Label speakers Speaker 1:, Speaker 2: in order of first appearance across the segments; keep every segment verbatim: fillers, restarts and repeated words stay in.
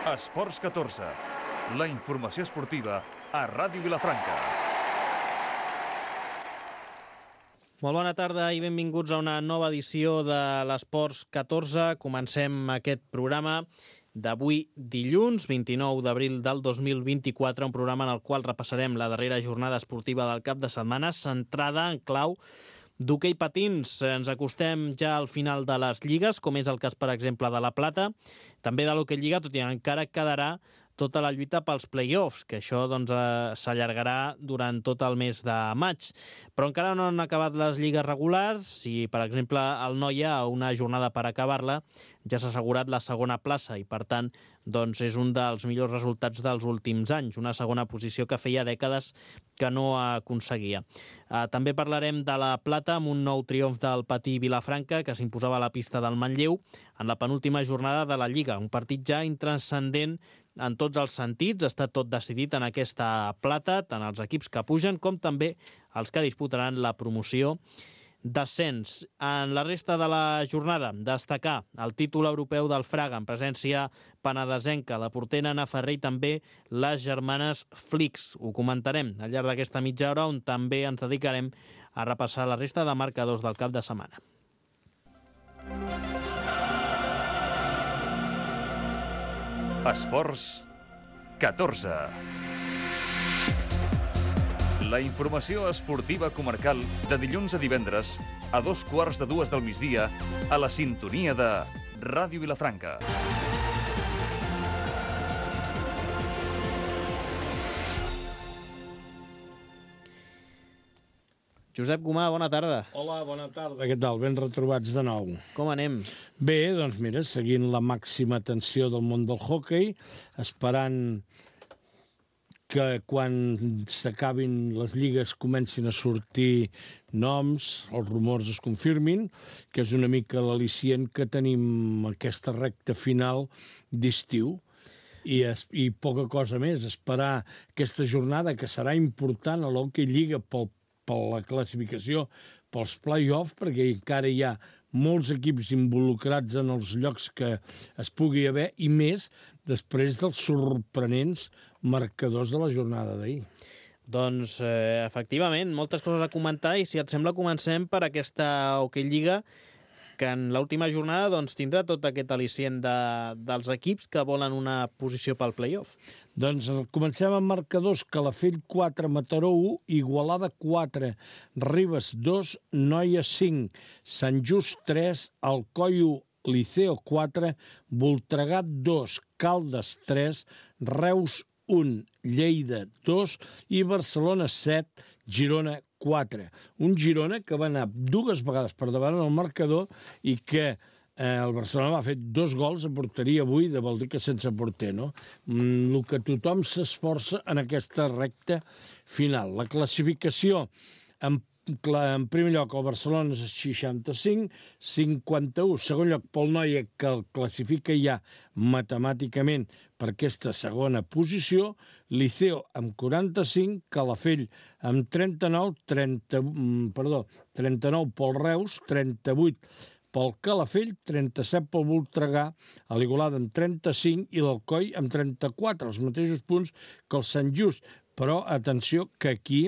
Speaker 1: Esports catorze, la informació esportiva a Ràdio Vilafranca.
Speaker 2: Molt bona tarda i benvinguts a una nova edició de l'Esports catorze. Comencem aquest programa d'avui dilluns, vint-i-nou d'abril del dos mil vint-i-quatre, un programa en el qual repassarem la darrera jornada esportiva del cap de setmana, centrada en clau d'hoquei patins. Ens acostem ja al final de les lligues, com és el cas, per exemple, de la Plata, també de l'Hoquei Lliga, tot i encara quedarà tota la lluita pels play-offs, que això doncs, eh, s'allargarà durant tot el mes de maig. Però encara no han acabat les lligues regulars. Si, per exemple, el Noia, a una jornada per acabar-la, ja s'ha assegurat la segona plaça i, per tant, doncs, és un dels millors resultats dels últims anys, una segona posició que feia dècades que no aconseguia. Eh, també parlarem de la Plata amb un nou triomf del Patí Vilafranca, que s'imposava a la pista del Manlleu en la penúltima jornada de la Lliga. Un partit ja intranscendent en tots els sentits. Està tot decidit en aquesta Plata, tant els equips que pugen com també els que disputaran la promoció d'ascens. En la resta de la jornada, destacar el títol europeu del Fraga en presència penedesenca, la portera Ana Ferrer i també les germanes Flix. Ho comentarem al llarg d'aquesta mitja hora, on també ens dedicarem a repassar la resta de marcadors del cap de setmana.
Speaker 1: Esports catorze. La informació esportiva comarcal de dilluns a divendres a dos quarts de dues del migdia a la sintonia de Ràdio Vilafranca.
Speaker 2: Josep Gomà, bona tarda.
Speaker 3: Hola, bona tarda. Què tal? Ben retrobats de nou.
Speaker 2: Com anem?
Speaker 3: Bé, doncs mira, seguint la màxima tensió del món del hoquei, esperant que quan s'acabin les lligues comencin a sortir noms, els rumors es confirmin, que és una mica l'al·licient que tenim aquesta recta final d'estiu. I, es, I poca cosa més, esperar aquesta jornada que serà important a l'Hoquei Lliga pel per la classificació, pels play-off, perquè encara hi ha molts equips involucrats en els llocs que es pugui haver, i més després dels sorprenents marcadors de la jornada d'ahir.
Speaker 2: Doncs, eh, efectivament, moltes coses a comentar, i si et sembla comencem per aquesta Hoquei Lliga, que en l'última jornada doncs, tindrà tot aquest al·licient de, dels equips que volen una posició pel play-off.
Speaker 3: Doncs comencem amb marcadors: Calafell quatre, Mataró u, Igualada quatre, Ribes dos, Noia cinc, Sant Just tres, Alcoi u, Liceo quatre, Voltregà dos, Caldes tres, Reus un, Lleida dos i Barcelona set, Girona quatre. Un Girona que va anar dues vegades per davant el marcador i que eh, el Barcelona va fer dos gols a porteria buida, vol dir que sense porter, no? Mm, el que tothom s'esforça en aquesta recta final. La classificació, en En primer lloc, el Barcelona és seixanta-cinc, cinquanta-u, segon lloc pel Noia, que el classifica ja matemàticament per aquesta segona posició, Liceo amb quaranta-cinc, Calafell amb trenta-nou, trenta, perdó, trenta-nou pel Reus, trenta-vuit pel Calafell, trenta-set pel Voltregà, l'Igualada amb trenta-cinc i l'Alcoi amb trenta-quatre, els mateixos punts que el Sant Just. Però atenció que aquí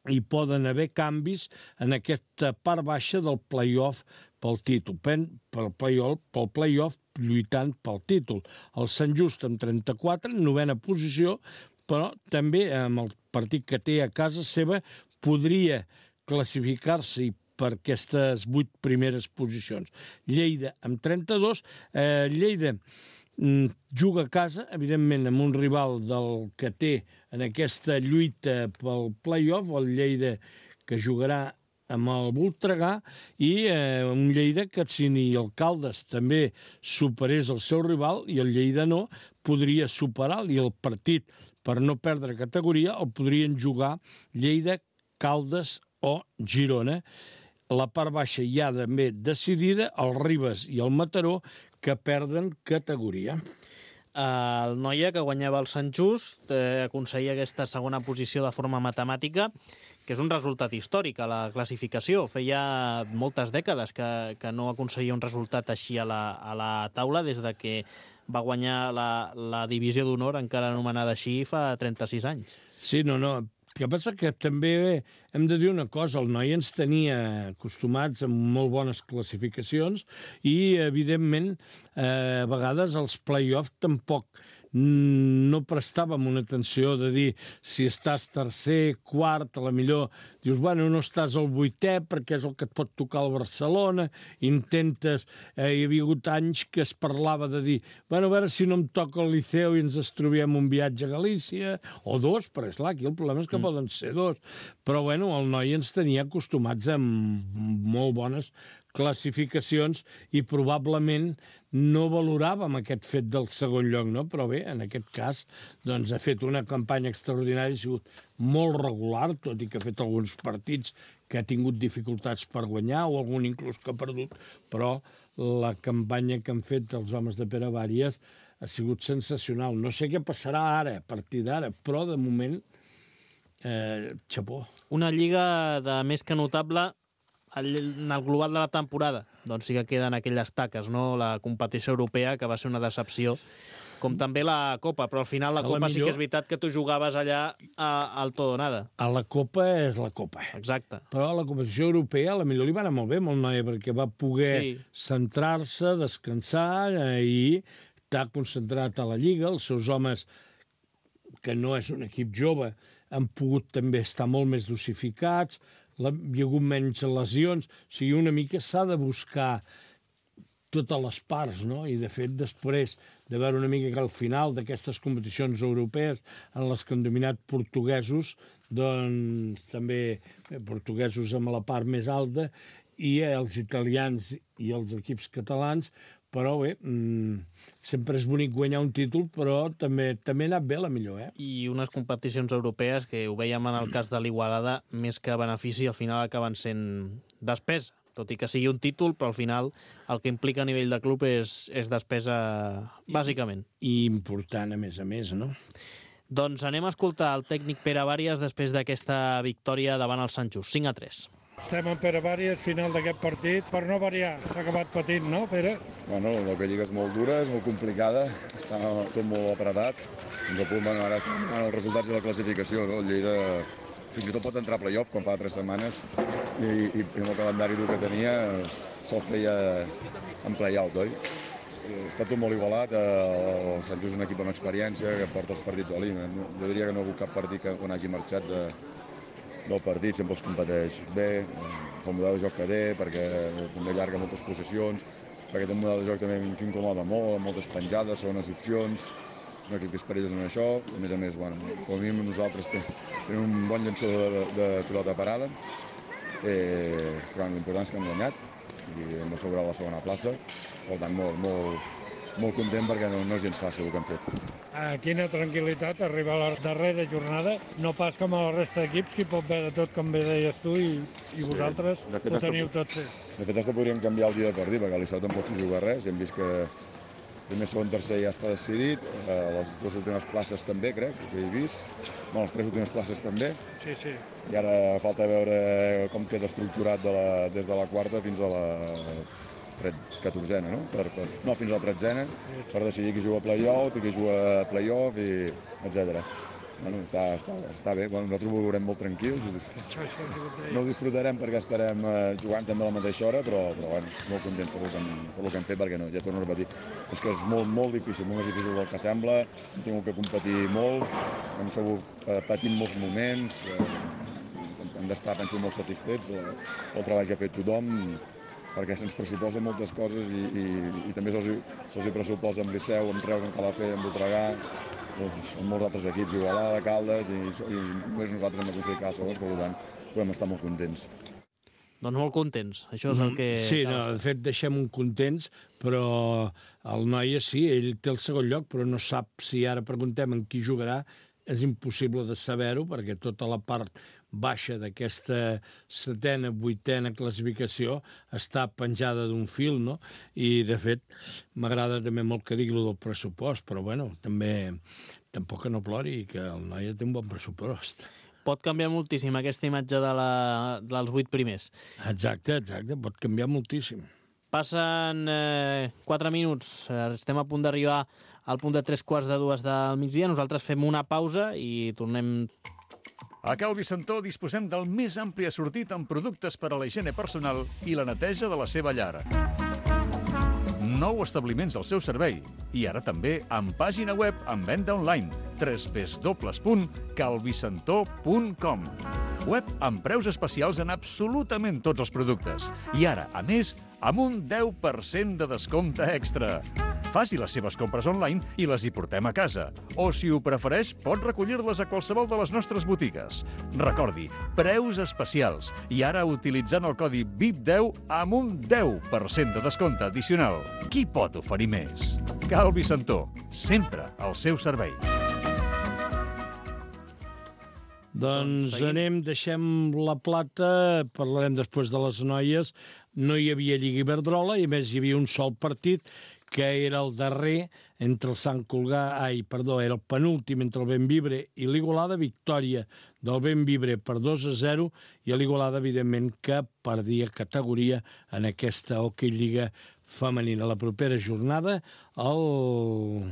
Speaker 3: hi poden haver canvis en aquesta part baixa del play-off pel títol, pel play-off, pel play-off lluitant pel títol. El Sant Just amb trenta-quatre, novena posició, però també amb el partit que té a casa seva podria classificar-se per aquestes vuit primeres posicions. Lleida amb trenta-dos, eh, Lleida juga a casa, evidentment, amb un rival del que té en aquesta lluita pel play-off, el Lleida, que jugarà amb el Voltregà, i eh, un Lleida que, si ni el Caldes també superés el seu rival, i el Lleida no, podria superar-lo, i el partit, per no perdre categoria, el podrien jugar Lleida, Caldes o Girona. La part baixa ja també decidida, el Ribes i el Mataró, que perden categoria.
Speaker 2: El Noia, que guanyava el Sant Just, eh, aconseguia aquesta segona posició de forma matemàtica, que és un resultat històric a la classificació. Feia moltes dècades que, que no aconseguia un resultat així a la, a la taula, des de que va guanyar la, la divisió d'honor, encara anomenada així, fa trenta-sis anys.
Speaker 3: Sí, no, no. El que passa que també hem de dir una cosa, el noi ens tenia acostumats amb molt bones classificacions i, evidentment, eh, a vegades els play-off tampoc no prestàvem una atenció de dir si estàs tercer, quart, a la millor dius, bueno, no estàs al vuitè perquè és el que et pot tocar al Barcelona, intentes, eh, hi havia hagut anys que es parlava de dir, bueno, a veure si no em toca el Liceu i ens trobem un viatge a Galícia, o dos, però esclar, aquí el problema és que mm. poden ser dos, però bueno, el noi ens tenia acostumats amb molt bones classificacions i probablement no valoràvem aquest fet del segon lloc, no? Però bé, en aquest cas doncs, ha fet una campanya extraordinària, ha sigut molt regular, tot i que ha fet alguns partits que ha tingut dificultats per guanyar o algun inclús que ha perdut, però la campanya que han fet els homes de Pere Bàries ha sigut sensacional. No sé què passarà ara, a partir d'ara, però de moment, eh, xapó.
Speaker 2: Una lliga de més que notable en el global de la temporada, doncs sí que queden aquelles taques, no? La competició europea, que va ser una decepció, com també la Copa, però al final la Copa sí que és veritat que tu jugaves allà a, al tot o nada.
Speaker 3: A la Copa és la Copa.
Speaker 2: Exacte.
Speaker 3: Però a la competició europea a la millor li va anar molt bé, molt noi, perquè va poder sí. centrar-se, descansar eh, i estar concentrat a la Lliga. Els seus homes, que no és un equip jove, han pogut també estar molt més dosificats, la, hi ha hagut menys lesions, o sigui, una mica s'ha de buscar totes les parts, no? I de fet després de veure una mica que al final d'aquestes competicions europees en les que han dominat portuguesos, doncs també portuguesos amb la part més alta i els italians i els equips catalans, però bé, mmm, sempre és bonic guanyar un títol, però també també ha anat bé la millor, eh?
Speaker 2: I unes competicions europees que ho veiem en el cas de l'Igualada, més que benefici, al final acaben sent despesa, tot i que sigui un títol, però al final el que implica a nivell de club és, és despesa, bàsicament.
Speaker 3: I, I important, a més a més, no?
Speaker 2: Doncs anem a escoltar el tècnic Pere Bàries després d'aquesta victòria davant el Sant Just, cinc a tres.
Speaker 4: Estem en Pere Bàries, final d'aquest partit. Per no variar, s'ha acabat patint, no, Pere?
Speaker 5: Bueno, la lliga és molt dura, és molt complicada, està tot molt apretat. Ens apunten ara els resultats de la classificació, no? El Lleida fins i tot pot entrar a playoff, com fa tres setmanes, i, i, i amb el calendari dur que tenia se'l feia en play-out, oi? Està tot molt igualat, el Sant Just és un equip amb experiència que porta els partits a l'I M. Jo diria que no ha hagut cap partit que quan hagi marxat de, del partit, sempre els competeix bé, pel model de joc que té, perquè també allarga moltes possessions, perquè té un model de joc també que incomoda molt, amb moltes penjades, segones opcions, és un equip que és perillós en això, a més a més, bueno, com a mínim nosaltres tenim un bon llançador de, de pilota parada, eh, però l'important és que hem guanyat i hem assegurat la segona plaça, per tant, molt, molt, molt content perquè no, no és gens fàcil el que hem fet.
Speaker 4: Ah, quina tranquil·litat arribar a la darrera jornada, no pas com a la resta d'equips, que hi pot haver de tot, com bé deies tu, i, i sí, vosaltres fet, ho teniu tot fet.
Speaker 5: De fet, hasta podríem canviar el dia de partit, perquè a l'Iceu tampoc s'hi juga res, hem vist que primer, segon, tercer ja està decidit, eh, les dues últimes places també, crec, que he vist, bueno, les tres últimes places també,
Speaker 4: sí, sí.
Speaker 5: I ara falta veure com queda estructurat de la, des de la quarta fins a la catorzena, no? Per, per, no, fins a la tretzena, per decidir qui juga a play-out i qui juga a play-off, i etcètera. Bueno, està, està, està bé, bueno, nosaltres ho veurem molt tranquils,
Speaker 4: això, això,
Speaker 5: no ho disfrutarem perquè estarem eh, jugant també a la mateixa hora, però, però bueno, molt contents per el, que, per el que hem fet, perquè no, ja torno a repetir, és que és molt, molt difícil, molt més difícil del que sembla, hem tingut que competir molt, hem sabut eh, patir molts moments, eh, hem d'estar, penso, molt satisfets eh, pel treball que ha fet tothom, perquè se'ns pressuposa moltes coses i, i, i també se'ls se pressuposa amb Liceu, amb Reus, amb Calafell, amb Voltregà, doncs, amb molts altres equips, Igualada, Caldes, i, i només nosaltres hem aconseguit cada segons, per tant, podem estar molt contents.
Speaker 2: Doncs molt contents, això és el que...
Speaker 3: Sí, no, de fet, deixem-ho contents, però el noi, sí, ell té el segon lloc, però no sap si ara preguntem en qui jugarà, és impossible de saber-ho, perquè tota la part baixa d'aquesta setena, vuitena classificació està penjada d'un fil, no? I, de fet, m'agrada també molt que digui del pressupost, però, bueno, també tampoc que no plori, que el noi té un bon pressupost.
Speaker 2: Pot canviar moltíssim aquesta imatge de la, dels vuit primers.
Speaker 3: Exacte, exacte, pot canviar moltíssim.
Speaker 2: Passen eh, quatre minuts, eh, estem a punt d'arribar al punt de tres quarts de dues del migdia. Nosaltres fem una pausa i tornem.
Speaker 1: A Cal Vicentó disposem del més ampli assortit en productes per a la higiene personal i la neteja de la seva llar. Nou establiments al seu servei i ara també amb pàgina web amb venda online w w w punt calvicentó punt com. Web amb preus especials en absolutament tots els productes. I ara, a més, amb un deu per cent de descompte extra. Faci les seves compres online i les hi portem a casa. O, si ho prefereix, pot recollir-les a qualsevol de les nostres botigues. Recordi, preus especials. I ara utilitzant el codi V I P deu amb un deu per cent de descompte addicional. Qui pot oferir més? Cal Vicentó, sempre al seu servei.
Speaker 3: Doncs anem, deixem la plata, parlarem després de les noies. No hi havia Lliga Iberdrola i a més hi havia un sol partit que era el darrer entre el Sant Colgar, ai, perdó, era el penúltim entre el Bembibre i l'Igualada, victòria del Bembibre per dos a zero i l'Igualada, evidentment, que perdia categoria en aquesta Hockey Lliga femenina. La propera jornada, el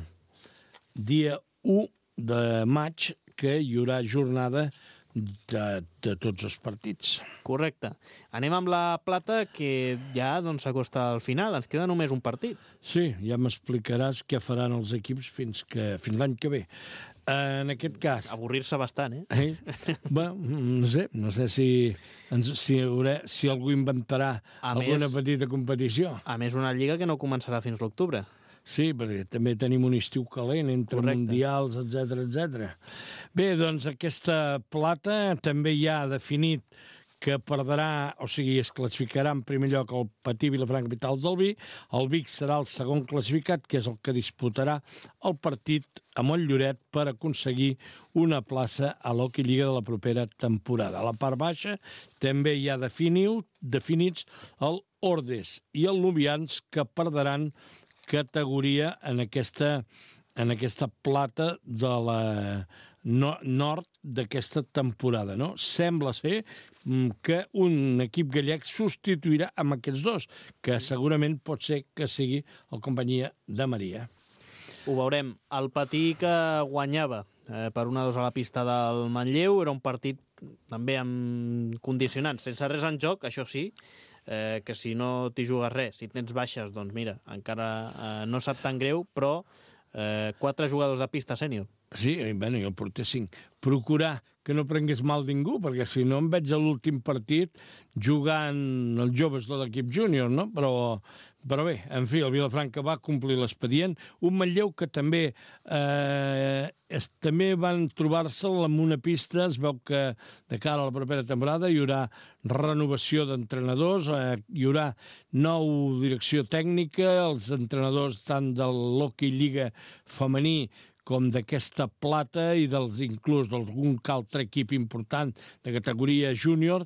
Speaker 3: dia u de maig, que hi haurà jornada de, de tots els partits.
Speaker 2: Correcte. Anem amb la plata, que ja doncs, s'acosta al final. Ens queda només un partit.
Speaker 3: Sí, ja m'explicaràs què faran els equips fins, que, fins l'any que ve. En aquest cas...
Speaker 2: Avorrir-se bastant, eh?
Speaker 3: eh? Bé, no sé, no sé si, ens, si, haurà, si algú inventarà a alguna més, petita competició.
Speaker 2: A més, una lliga que no començarà fins l'octubre.
Speaker 3: Sí, perquè també tenim un estiu calent entre Correcte. mundials, etcètera, etcètera. Bé, doncs aquesta plata també ja ha definit que perdrà, o sigui, es classificarà en primer lloc el Patí Vilafranca Capital del Vi. El Vic serà el segon classificat, que és el que disputarà el partit a Montlloret per aconseguir una plaça a l'Hockey Lliga de la propera temporada. A la part baixa també hi ha definiu, definits el Ordes i el Lubians, que perdran categoria en aquesta, en aquesta plata de la no, nord d'aquesta temporada. No? Sembla ser que un equip gallec substituirà amb aquests dos, que segurament pot ser que sigui el Companyia de Maria.
Speaker 2: Ho veurem. El Patí que guanyava eh, per un a dos a la pista del Manlleu era un partit també amb condicionants, sense res en joc, això sí, Eh, que si no t'hi jugues res, si tens baixes, doncs mira, encara eh, no sap tan greu, però eh, quatre jugadors de pista sènior.
Speaker 3: Sí, bueno, i el porter cinc. Procurar que no prengués mal ningú, perquè si no em veig a l'últim partit jugant els joves de l'equip júnior, no? Però, però bé, en fi, el Vilafranca va complir l'expedient. Un Manlleu que també eh, es, també van trobar-se amb una pista, es veu que de cara a la propera temporada hi haurà renovació d'entrenadors, eh, hi haurà nou direcció tècnica, els entrenadors tant de l'Hockey Lliga femení com d'aquesta plata i dels inclús d'algun altre equip important de categoria júnior.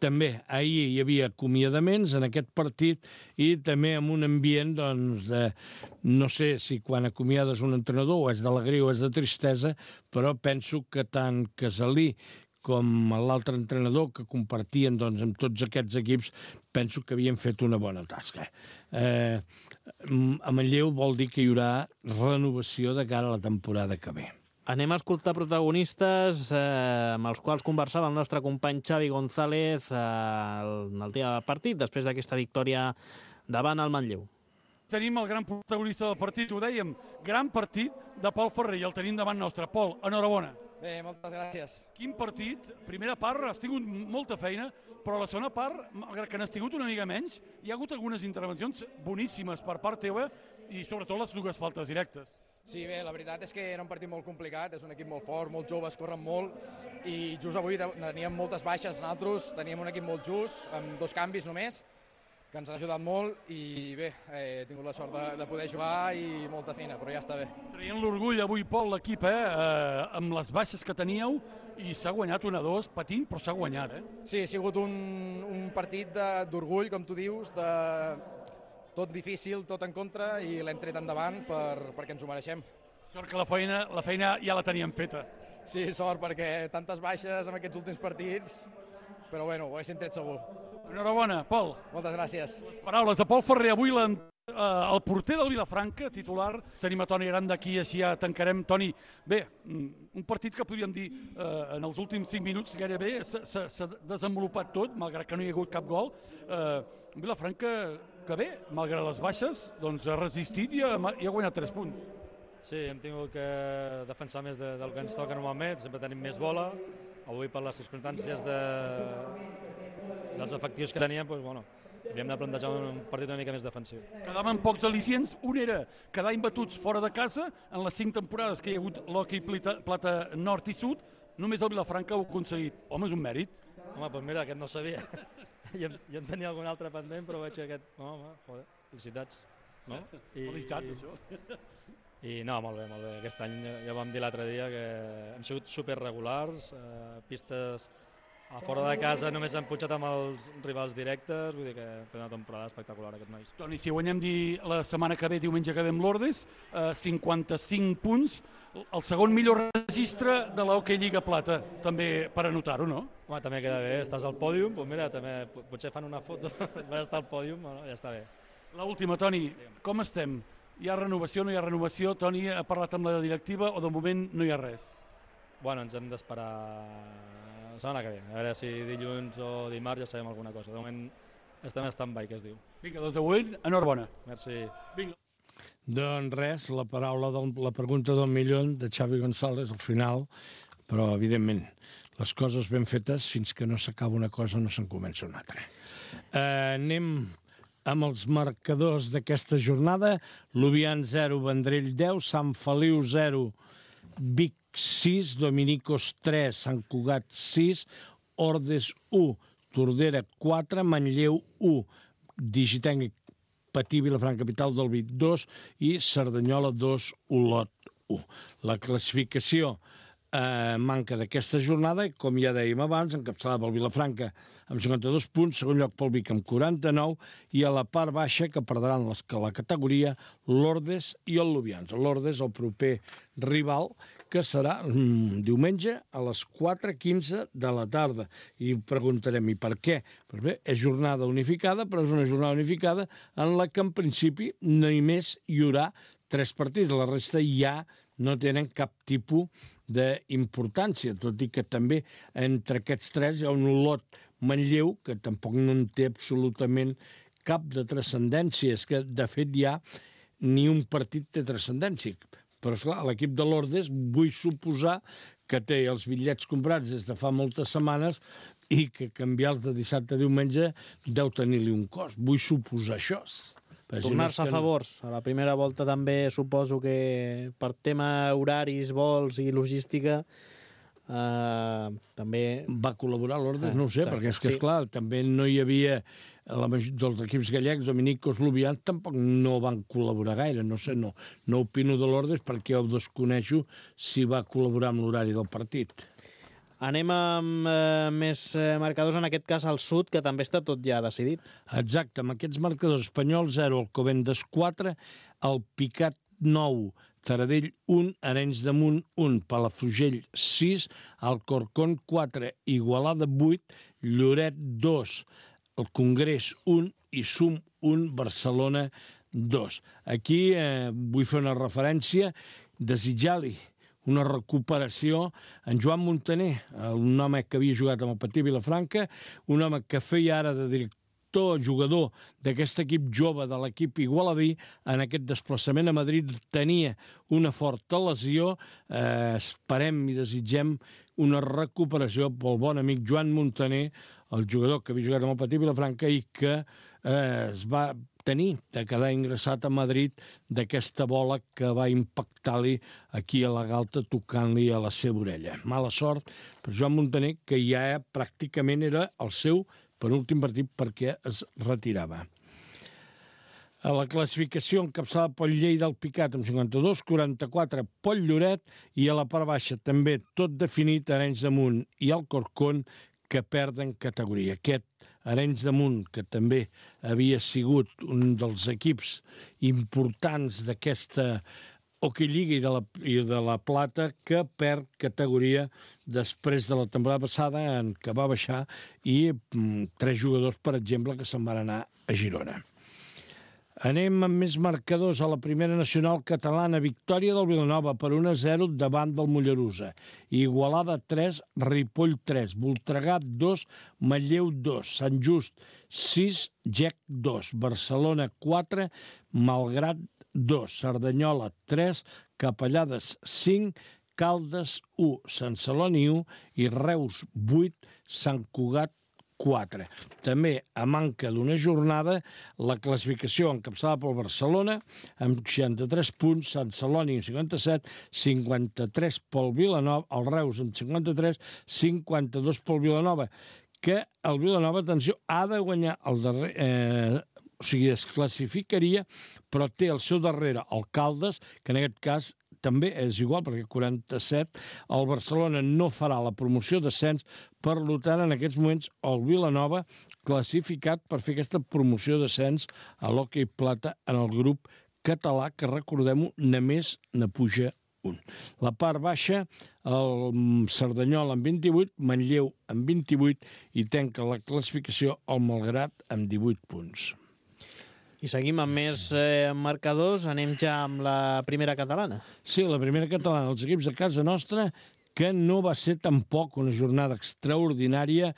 Speaker 3: També ahir hi havia acomiadaments en aquest partit i també amb un ambient, doncs, de, no sé si quan acomiades un entrenador o és d'alegria o és de tristesa, però penso que tant Casalí com l'altre entrenador que compartien doncs, amb tots aquests equips, penso que havien fet una bona tasca. Eh, a Manlleu vol dir que hi haurà renovació de cara a la temporada que ve.
Speaker 2: Anem a escoltar protagonistes eh, amb els quals conversava el nostre company Xavi González eh, el, el dia del partit, després d'aquesta victòria davant el Manlleu.
Speaker 6: Tenim el gran protagonista del partit, ho dèiem, gran partit de Pol Ferrer, i el tenim davant nostre. Pol, enhorabona.
Speaker 7: Bé, moltes gràcies.
Speaker 6: Quin partit, primera part, has tingut molta feina, però la segona part, malgrat que n'has tingut una mica menys, hi ha hagut algunes intervencions boníssimes per part teva i sobretot les dues faltes directes.
Speaker 7: Sí, bé, la veritat és que era un partit molt complicat, és un equip molt fort, molt joves, corren molt, i just avui teníem moltes baixes nosaltres, teníem un equip molt just, amb dos canvis només, que ens han ajudat molt, i bé, he tingut la sort de, de poder jugar i molta feina, però ja està bé.
Speaker 6: Traient l'orgull avui, Pol, l'equip, eh, eh, amb les baixes que teníeu, i s'ha guanyat un a dos, patint, però s'ha guanyat, eh?
Speaker 7: Sí, ha sigut un, un partit d'orgull, com tu dius, de tot difícil, tot en contra, i l'hem tret endavant per, perquè ens ho mereixem.
Speaker 6: Sort que la feina, la feina ja la teníem feta.
Speaker 7: Sí, sort, perquè tantes baixes en aquests últims partits però bueno, ho haguéssim tret segur.
Speaker 6: Enhorabona, Pol.
Speaker 7: Moltes gràcies.
Speaker 6: Les paraules de Pol Ferrer, avui la, eh, el porter del Vilafranca, titular. Tenim a Toni Aranda aquí, així ja tancarem. Toni, bé, un partit que podríem dir eh, en els últims cinc minuts gairebé s'ha desenvolupat tot, malgrat que no hi ha hagut cap gol. Eh, Vilafranca, que bé, malgrat les baixes, doncs ha resistit i ha, i ha guanyat tres punts.
Speaker 8: Sí, hem tingut que defensar més de, del que ens toca normalment, sempre tenim més bola. Avui, per les circumstàncies de, dels efectius que teníem, doncs, bueno, havíem de plantejar un partit una mica més defensiu.
Speaker 6: Quedaven pocs al·licients. Un era quedar imbatuts fora de casa. En les cinc temporades que hi ha hagut l'hoquei plata nord i sud, només el Vilafranca ho ha aconseguit. Home, és un mèrit.
Speaker 8: Home, doncs mira, aquest no ho sabia. Jo, jo en tenia algun altre pendent, però veig que aquest... No, home, joder, felicitats. No?
Speaker 6: I, felicitats, i, això.
Speaker 8: I no, molt bé, molt bé. Aquest any ja vam dir l'altre dia que hem sigut superregulars, eh, pistes a fora de casa només han pujat amb els rivals directes, vull dir que hem fet una temporada espectacular aquests nois.
Speaker 6: Toni, si guanyem dir la setmana que ve, diumenge que ve amb l'Ordes, eh, cinquanta-cinc punts, el segon millor registre de l'Hockey Lliga Plata, també per anotar-ho, no?
Speaker 8: Home, també queda bé, estàs al pòdium, doncs mira, també potser fan una foto, vas estar al pòdium, no? Ja està bé.
Speaker 6: L'última, Toni, com estem? Hi ha renovació, no hi ha renovació? Toni ha parlat amb la directiva o de moment no hi ha res?
Speaker 8: Bueno, ens hem d'esperar la setmana que ve. A veure si dilluns o dimarts ja sabem alguna cosa. De moment estem en stand-by, que es diu.
Speaker 6: Vinga, des d'avui, enhorabona.
Speaker 8: Merci.
Speaker 6: Vinga.
Speaker 3: Doncs res, la paraula, del, la pregunta del milió de Xavi González al final, però evidentment les coses ben fetes, fins que no s'acaba una cosa no se'n comença una altra. Eh, anem amb els marcadors d'aquesta jornada. Lubian zero, Vendrell deu, Sant Feliu zero, Vic sis, Dominicos tres, Sant Cugat sis, Ordes u, Tordera quatre, Manlleu u, Digitenc Patí, Vilafranca, capital del Vic dos i Cerdanyola dos, Olot u. La classificació eh, manca d'aquesta jornada, com ja dèiem abans, encapçalada pel Vilafranca amb cinquanta-dos punts, segon lloc pel Vic amb quaranta-nou, i a la part baixa, que perdran les, la categoria, l'Ordes i el Lubians. L'Ordes, el proper rival, que serà mm, diumenge a les quatre quinze de la tarda. I preguntarem, i per què? Pues bé, és jornada unificada, però és una jornada unificada en la que, en principi, només hi haurà tres partits. La resta ja no tenen cap tipus d'importància, tot i que també entre aquests tres hi ha un Olot Manlleu, que tampoc no en té absolutament cap de transcendència. És que, de fet, ja ni un partit té transcendència. Però, esclar, l'equip de l'Ordes vull suposar que té els bitllets comprats des de fa moltes setmanes i que canviar-los de dissabte a diumenge deu tenir-li un cost. Vull suposar això.
Speaker 2: Tornar-se a favors. A la primera volta també suposo que per tema horaris, vols i logística Uh, també...
Speaker 3: Va col·laborar l'Ordes, ah, no ho sé, exacte, perquè és que,
Speaker 2: sí.
Speaker 3: esclar, també no hi havia... La, dels equips gallecs, Dominicos, Lubians, tampoc no van col·laborar gaire, no sé, no, no opino de l'Ordes perquè ho desconeixo si va col·laborar amb l'horari del partit.
Speaker 2: Anem amb eh, més eh, marcadors, en aquest cas al sud, que també està tot ja decidit.
Speaker 3: Exacte, amb aquests marcadors: Espanyol zero, Alcobendas quatre, el Picat nou, Taradell un, Arenys de Munt un, Palafrugell sis, Alcorcón quatre, Igualada vuit, Lloret dos, el Congrés un i Sum un, Barcelona dos. Aquí eh, vull fer una referència, desitjar-li una recuperació en Joan Montaner, un home que havia jugat amb el Patí Vilafranca, un home que feia ara de director jugador d'aquest equip jove de l'equip igualadí. En aquest desplaçament a Madrid tenia una forta lesió. Eh, esperem i desitgem una recuperació pel bon amic Joan Montaner, el jugador que havia jugat amb el Patí Vilafranca i que eh, es va tenir de quedar ingressat a Madrid d'aquesta bola que va impactar-li aquí a la galta tocant-li a la seva orella. Mala sort per Joan Montaner, que ja pràcticament era el seu penúltim partit perquè es retirava. A la classificació encapçalada pel Lleida del Picat amb cinquanta-dos, quaranta-quatre pel Lloret i a la part baixa també tot definit Arenys de Munt i Alcorcón, que perden categoria. Aquest Arenys de Munt, que també havia sigut un dels equips importants d'aquesta Hockey Lliga i de, la, i de la Plata, que perd categoria després de la temporada passada, en què va baixar, i mm, tres jugadors, per exemple, que se'n van anar a Girona. Anem amb més marcadors a la primera nacional catalana. Victòria del Vilanova per un a zero davant del Mollerussa. Igualada tres, Ripoll tres, Voltregà dos, Manlleu dos, Sant Just sis, Gec dos, Barcelona quatre, Malgrat dos, Cerdanyola tres, Capellades cinc, Caldes u, Sant Celoni u i Reus vuit, Sant Cugat quatre. També, a manca d'una jornada, la classificació encapçalada pel Barcelona, amb seixanta-tres punts, Sant Celoni amb cinquanta-set, cinquanta-tres pel Vilanova, el Reus amb cinquanta-tres, cinquanta-dos pel Vilanova, que el Vilanova, atenció, ha de guanyar el darrer... Eh, o sigui, es classificaria, però té al seu darrere el Caldes, que en aquest cas també és igual, perquè quaranta-set, el Barcelona no farà la promoció d'ascens, per tant, en aquests moments, el Vilanova classificat per fer aquesta promoció d'ascens a l'hoquei plata en el grup català, que recordem-ho, només ne puja un. La part baixa, el Cerdanyola amb vint-i-vuit, Manlleu amb vint-i-vuit i tanca la classificació el Malgrat amb divuit punts.
Speaker 2: I seguim amb més eh, marcadors. Anem ja amb la primera catalana.
Speaker 3: Sí, la primera catalana. Els equips de casa nostra, que no va ser tampoc una jornada extraordinària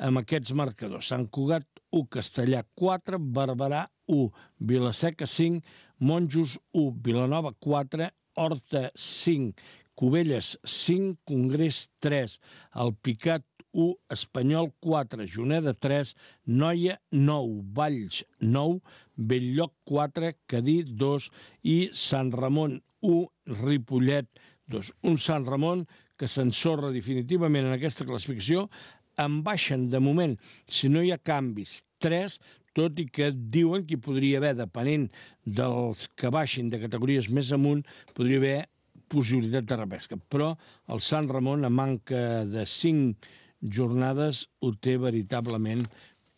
Speaker 3: amb aquests marcadors. Sant Cugat u, Castellà quatre, Barberà u, Vilaseca cinc, Monjos u, Vilanova quatre, Horta cinc, Cubelles cinc, Congrés tres, Alpicat u, Espanyol quatre, Juneda tres, Noia nou, Valls nou, Belllloc quatre, Cadí dos i Sant Ramon u, Ripollet dos. Un Sant Ramon que s'ensorra definitivament en aquesta classificació, en baixen de moment, si no hi ha canvis, tres, tot i que diuen que hi podria haver, depenent dels que baixin de categories més amunt, podria haver possibilitat de repesca. Però el Sant Ramon, a manca de cinc jornades, ho té veritablement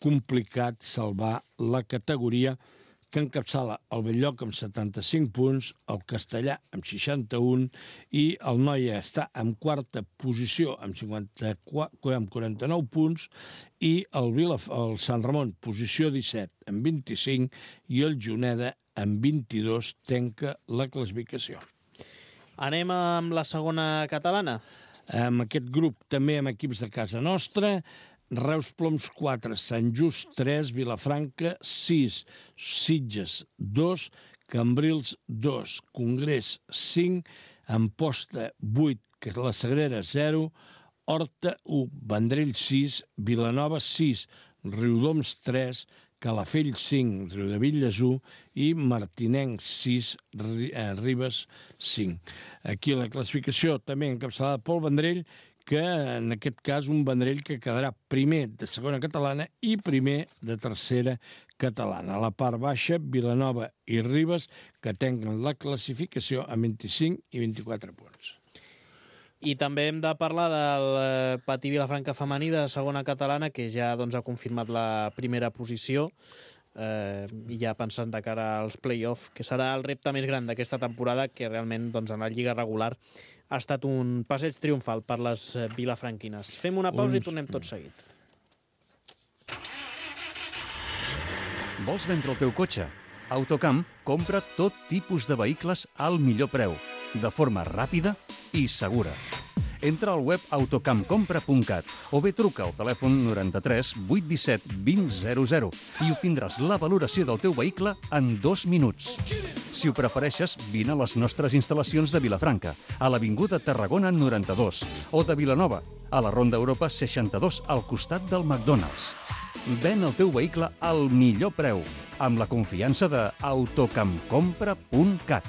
Speaker 3: complicat salvar la categoria, que encapçala el Belllloc amb setanta-cinc punts, el Castellà amb seixanta-un i el Noia està en quarta posició amb, cinquanta-quatre, amb quaranta-nou punts i el, Vila, el Sant Ramon, posició disset amb vint-i-cinc i el Juneda amb vint-i-dos tanca la classificació.
Speaker 2: Anem amb la segona catalana.
Speaker 3: Amb aquest grup també amb equips de casa nostra, Reus Ploms quatre, Sant Just tres, Vilafranca sis, Sitges dos, Cambrils dos, Congrés cinc, Amposta vuit, la Sagrera zero, Horta u, Vendrell sis, Vilanova sis, Riudoms tres, Calafell cinc, Riudebitlles u i Martinenc sis, Ribes cinc. Aquí la classificació també encapçalada pel Vendrell, que en aquest cas un Vendrell que quedarà primer de segona catalana i primer de tercera catalana. A la part baixa, Vilanova i Ribes, que tenen la classificació a vint-i-cinc i vint-i-quatre punts.
Speaker 2: I també hem de parlar del Patí Vilafranca femení de segona catalana, que ja doncs, ha confirmat la primera posició, eh, i ja pensant de cara als play-off, que serà el repte més gran d'aquesta temporada, que realment doncs, en la lliga regular ha estat un passeig triomfal per les vilafranquines. Fem una pausa i tornem tot seguit.
Speaker 1: Vols vendre el teu cotxe? Autocamp compra tot tipus de vehicles al millor preu, de forma ràpida i segura. Entra al web autocamp compra punt cat o bé truca al telèfon noranta-tres vuit disset vint zero zero i obtindràs la valoració del teu vehicle en dos minuts. Si ho prefereixes, vine a les nostres instal·lacions de Vilafranca, a l'Avinguda Tarragona noranta-dos, o de Vilanova, a la Ronda Europa seixanta-dos, al costat del McDonald's. Ven el teu vehicle al millor preu, amb la confiança de autocamp compra punt cat.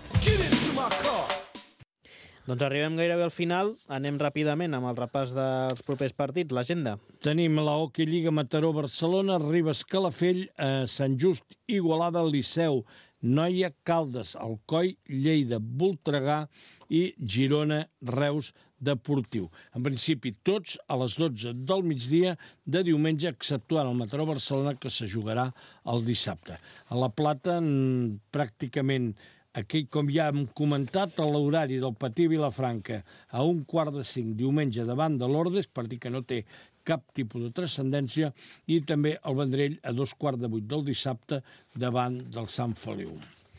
Speaker 2: Doncs arribem gairebé al final. Anem ràpidament amb el repàs dels propers partits, l'agenda.
Speaker 3: Tenim la Hockey Lliga Mataró Barcelona, Ribes Calafell, eh, Sant Just Igualada Liceu, Noia Caldes, Alcoi Lleida, Voltregà i Girona Reus Deportiu. En principi tots a les dotze del migdia de diumenge, exceptuant el Mataró Barcelona, que se jugarà el dissabte. A la Plata pràcticament Aquí, com ja hem comentat, l'horari del Patí Vilafranca a un quart de cinc diumenge davant de l'Ordes, per dir que no té cap tipus de transcendència, i també el Vendrell a dos quarts de vuit del dissabte davant del Sant Feliu.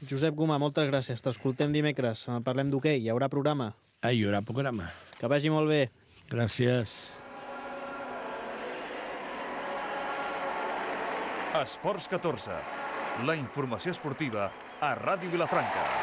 Speaker 2: Josep Gomà, moltes gràcies. T'escoltem dimecres. Parlem d'hoquei. Hi haurà programa?
Speaker 3: Ah, hi haurà programa.
Speaker 2: Que vagi molt bé.
Speaker 3: Gràcies.
Speaker 1: Esports catorze. La informació esportiva a Ràdio Vilafranca.